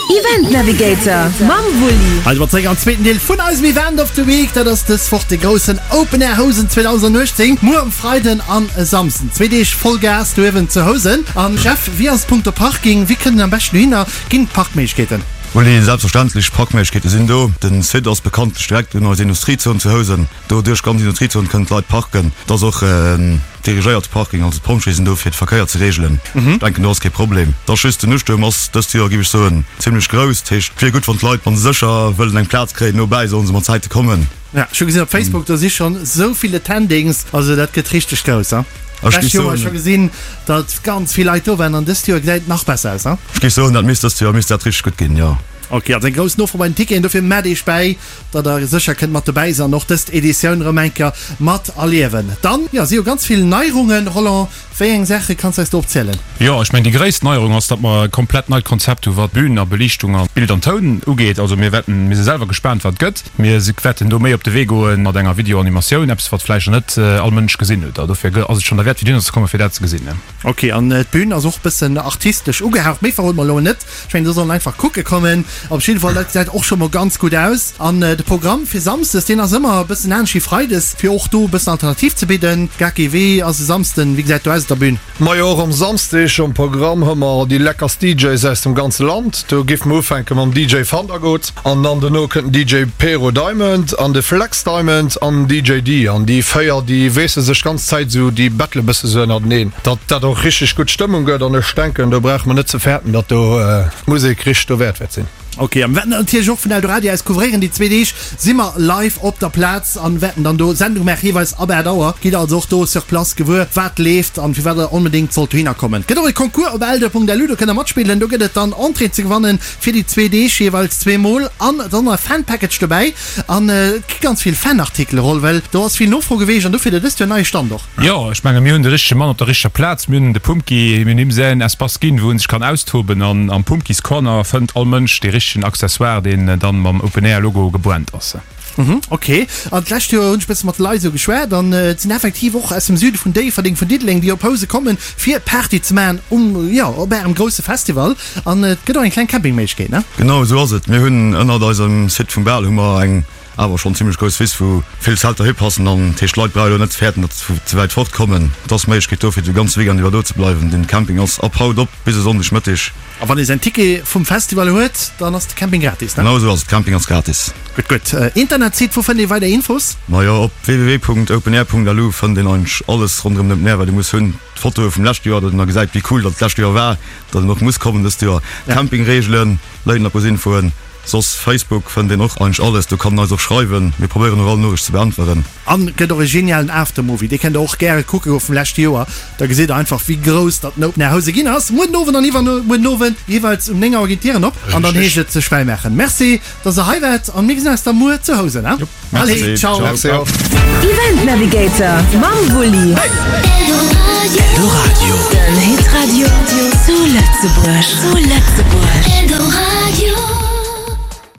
Event Navigator mam Wulli. Hei si mer zeréck am zweeten Deel vun eisem Event of the Week. Dat ass dës Woch de groussen Open Air Housen 2018. Muer um Freiden an e Samsden. Zwee Deeg voll Gas do uewen zu Housen. An Jeff, wéi ass et punkto Parking? Wéi kënnt een am beschten dohinner? Ginn et Parkméiglechkeeten? Wulli, Selbstverständlech, Parkméiglechkeete sinn do. Den Site ass bekanntlech direkt un eiser Industriezon zu Housen. Do duerch d'ganz Industriezon kënnen d'Leit parken. Et ass och en dirigéierte Parking, also d'Pompjeeë sinn do fir de Verkéier ze reegelen. Ech denken do ass kee Problem. Et ass just den Ustuerm ass dëst Joer, géif ech soen, zimlech grouss. Dat heescht et wier gutt wann d'Leit, wa se sécher wëllen eng Plaz kréien nobäi, sollen se mat Zäite kommen. Ja, ech hu gesinn op Facebook, do si schonn esou vill Attendings, also dat gëtt richteg grouss. Ech D'lescht géif Joer hu ech soen. scho gesinn, datt ganz vill Leit do waren an dëst Joer gesäit et nach besser aus. Ech géif soen, dat misst dëst Joer misst dat richteg gutt ginn, jo. Ok, also eng grouss Nofro bei den Ticketen, dofir mellt Iech bäi, datt der sécher kënnt mat dobäi sinn an och dëst Editioun erëm eng Kéier mat erliewen. Dann, jo, si jo ganz vill Neierungen. Roland, wéi eng Saache kanns du eis do opzielen? Jo, ech mengen déi gréisst Neierung ass, datt mer e komplett neit Konzept hu wat Bühn a Beliichtung a Bild an Toun ugeet. Also mir wäerten, mir si selwer gespaant wat et gëtt. Mir wäerten do méi op de Wee goe mat enger Videoanimatioun, eppes wat vläicht nach net all Mënsch gesinn huet. A dofir ass et schonn derwäert fir dohinner ze kommen, fir dat ze gesinn. Ok, an d'Bühn ass och bëssen artistesch ugehaucht. Méi verrode mer elo net. Ech mengen do sollen einfach kucke kommen. Op jidde Fall, dat gesäit och scho mol ganz gutt aus. An de Programm fir Samsdes, deen ass ëmmer e bëssen anescht wéi Freides, fir och do e bëssen Alternativ ze bidden. Gaki, wéi ass e Samsden, wéi gesäit do aus op der Bühn? Majo, och am Samsdeg um Programm hu mer déi leckerst DJs aus dem ganze Land. Do giff mer ufänke mam DJ Vandergoot an dann dono kënnt den DJ Pero Diamond an de Flex Diamond an den DJ Dee. An déi 4 déi weesse sech d'ganz Zäit esou, déi battle bësse sou ënnerteneen. Datt dat och richteg gutt Stëmmung gëtt an ech denken do brauche mer net ze fäerten, datt do d'Musek richteg dowäert wäert sinn. Ok, a mir wäerten dat natierlech och vun Eldoradio aus couvréieren. Déi zwee Deeg si mer live op der Plaz an wäerten dann do Sendung maachen, jeeweils ab 8 Auer. Gitt also och do sur place gewuer, wat leeft an firwat der onbedéngt sollt dohinner kommen. Et gëtt och e Concours op eldo.lu, do kënnt der matspillen. Do gëtt et dann Entrée ze gewannen fir déi zwee Deeg, jeeweils zweemol an et ass och nach e Fan-Package dobäi an et gi ganz vill Fan-Artikele, Roll, well do ass vill Nofro geweecht an dofir hutt der dëst Joer en neie Stand och. Jo, ech menge mir hunn de richtege Mann op der richteger Plaz. Mir hunn de Pumpki, mir hunn him säin Espace ginn, wou en sech kann austoben. An am Pumpkis Corner fënnt all Mënsch dee richtegen Accessoire, deen dann mam Open Air Logo gebrannt ass. Mhm, ok. An d'lescht Joer hunn ech bësse mat de Leit esou geschwat an et sinn effektiv och aus dem Süde vun Déifferdeng, vun Diddeleng, déi op Housen kommen, fir Party ze maachen um, jo, op ärem grousse Festival. An et gëtt och eng kleng Campingméiglechkeet, ne? Genau esou ass et. Mir hunn ënnert eisem Site vum Bal hu mer eng Awer schonn zimlech grouss Wiss wou vill Zelter hipassen an dat heescht d'Leit brauche lo net ze fäerten datt se vu ze wäit fort kommen. Et ass Méiglechkeet do fir de ganze Weekend iwwer do ze bleiwen. Den Camping ass ab haut op bis e Sonndeg Mëtteg. A wann ee säin Ticket vum Festival huet, dann ass de Camping gratis, ne? Genau esou ass et, Camping ass gratis. Gutt, gutt. Internetsite, wou fënnt ee weider Infos? Majo, op www.openair.lu fënnt een eigentlech alles ronderëm den Open Air wat ee muss hunn. D'Fotoe vum leschte Joer, datt een da gesäit wéi cool datt d'lescht Joer war, datt een och muss kommen dëst Joer. Campingreegelen, léien a Infoen. Soss Facebook fënnt een och eigentlech alles, do kann een eis och schreiwen, mir probéieren och all Noriicht ze beäntweren. An gëtt och e genialen Aftermovie, dee kennt der och gäre kucke goen vum leschte Joer, da gesitt der einfach wéi grouss datt den Open Air Housen ginn ass. Muer den Owend an iwwermuer den Owend jeeweils um 9 Auer ginn d'Dieren op an dann heescht et sech fräi maachen. Merci dass der hei waart an mir gesinn eis da muer zu Housen. Allez, ciao. Merci och. Event Navigator mam Wulli. Eldoradio. Den Hitradio zu Lëtzebuerg. Zu Lëtzebuerg.